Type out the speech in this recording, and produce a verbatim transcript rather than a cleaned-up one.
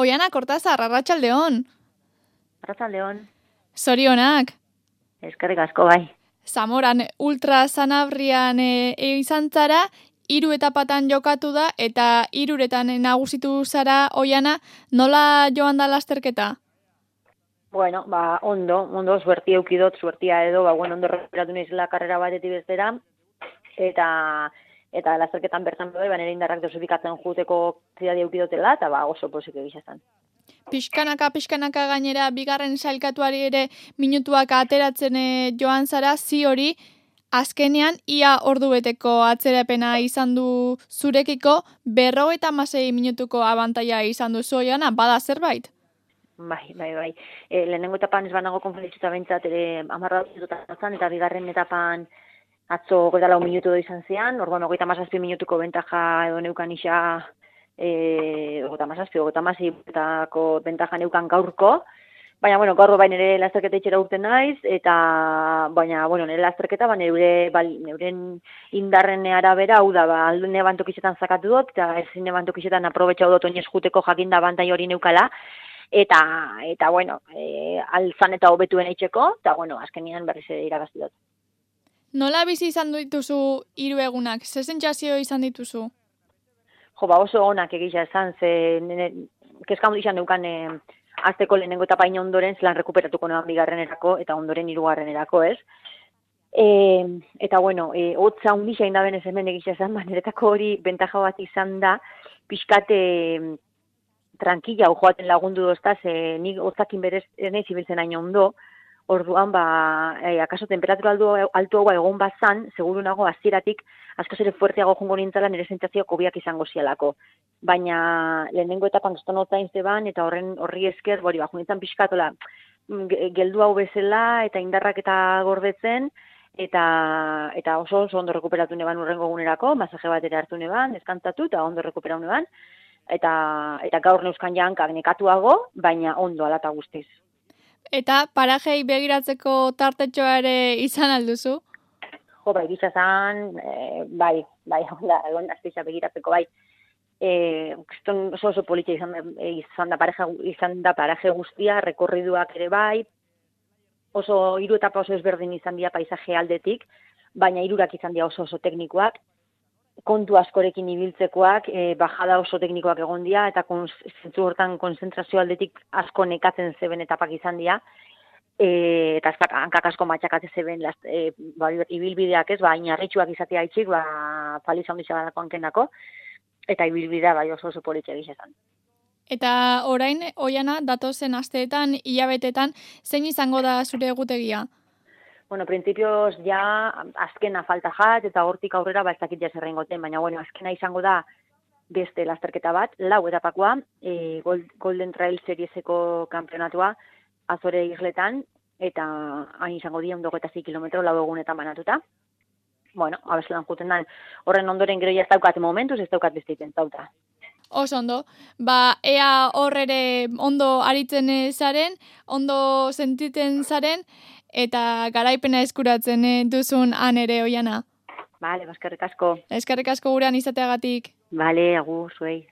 Oiana Kortazar, arratsaldeon. Arratsaldeon. Zorionak. Eskerrik asko bai. Zamoran ultra Sanabrian e, e, izan zara, hiru etapatan jokatu da, eta hiruretan nagusitu zara, Oiana, nola joan da lasterketa? Bueno, ba, ondo, ondo, suertia eukidot, suertia edo, ba, bueno, ondo recuperatu naizela karrera batetik bestera, eta eta lasterketan bertan bai, ba, nire indarrak dosifikatzen juteko zidadi eukidotela, eta ba, oso posik egizazan. Pixkanaka, pixkanaka gainera, bigarren sailkatuari ere minutuak ateratzen e, joan zara, zi hori, azkenean, ia ordubeteko atzerapena izan du zurekiko, berrogeita hamasei minutuko abantaila izan du Oiana, bada zerbait? Bai, bai, bai. E, lehenengo etapan ez banago konferentzituta bentsat, ere amarra dut eta bigarren etapan atzo goita lau minutu do izan zian, orduan hogeita hamazazpi minutuko bentaja edo neukan isa, e, hogeita hamazazpi, hogeita hamaseietako bentaja neukan gaurko, baina, bueno, gaur bain ere lasterketa itxera urten naiz, eta, baina, bueno, nire lasterketa, ba, neure, ba, neuren indarren arabera, hau da, ba, aldune bantokizetan zakatu dut, eta ezin bantokizetan aprobetxau dut oinez juteko jakinda bantai hori neukala, eta, eta, bueno, e, alzan eta hobetuen eitzeko, eta, bueno, azkenian berriz ere irabazti dut. Nola bizi izan dituzu hiru egunak? Ze sentsazio izan dituzu? Jo, ba, oso onak egisa esan, ze kezkamu izan neukan e, azteko lehenengo etapa ino ondoren zelan rekuperatuko noan bigarrenerako eta ondoren hirugarrenerako, ez? E, eta, bueno, e, hotza hundisa indaben ez hemen egisa esan, ba, niretako hori bentaja bat izan da, pixkate tranquila joaten lagundu dozta, ze nik hotzakin berez erneiz ibiltzen hain ondo, orduan, ba, e, akaso temperatura altu hau egon bazan, seguru nago hasieratik askoz ere fuerteago jongo nintzala nire sentsazio kobiak izango zialako. Baina lehenengo etapan geston hotzain zeban, eta horren horri esker, bori, ba, junitzen pixkatola, geldu hau bezala, eta indarrak eta gordetzen, eta eta oso oso ondo rekuperatu neban urrengo egunerako, masaje bat ere hartu neban, deskantzatu, eta ondo rekuperatu neban, eta, eta gaur neuzkan jankak nekatuago, baina ondo alata guztiz. Eta parajei begiratzeko tartetxoa ere izan alduzu? Jo, bai, gizazan, e, bai, bai, onda, egon azteiza begiratzeko, bai. E, oso oso politxe izan, izan, da pareja, izan da paraje guztia, rekorriduak ere bai, oso hiru etapa oso ezberdin izan dira paisaje aldetik, baina hirurak izan dira oso oso teknikoak, kontu askorekin ibiltzekoak, e, bajada oso teknikoak egon dira, eta zentzu hortan konzentrazio aldetik asko nekatzen zeben etapak izan dira, e, eta ez hankak asko matxakatzen zeben e, ba, ibilbideak ez, ba, inarritxuak izatea itxik, ba, paliza ondizia badako hankenako, eta ibilbidea bai oso oso politxe egizezan. Eta orain, Oiana, datozen asteetan, hilabetetan, zein izango da zure egutegia? Bueno, principios ja azkena falta jat, eta hortik aurrera ba ez dakit zer egingoten, baina bueno, azkena izango da beste lasterketa bat, lau etapakoa, e, Golden Trail Serieseko kampionatua, Azore Isletan, eta hain izango dira ondo hogeita sei kilometro lau egunetan banatuta. Bueno, abezelan juten da, horren ondoren gero ja ez daukat momentuz, ez daukat besteiten zauta. Oso ondo, ba, ea hor ere ondo aritzen zaren, ondo sentiten zaren, eta garaipena eskuratzen duzun han ere, Oiana. Bale, eskerrik asko. Eskerrik asko gurean izateagatik. Bale, agur, zuei.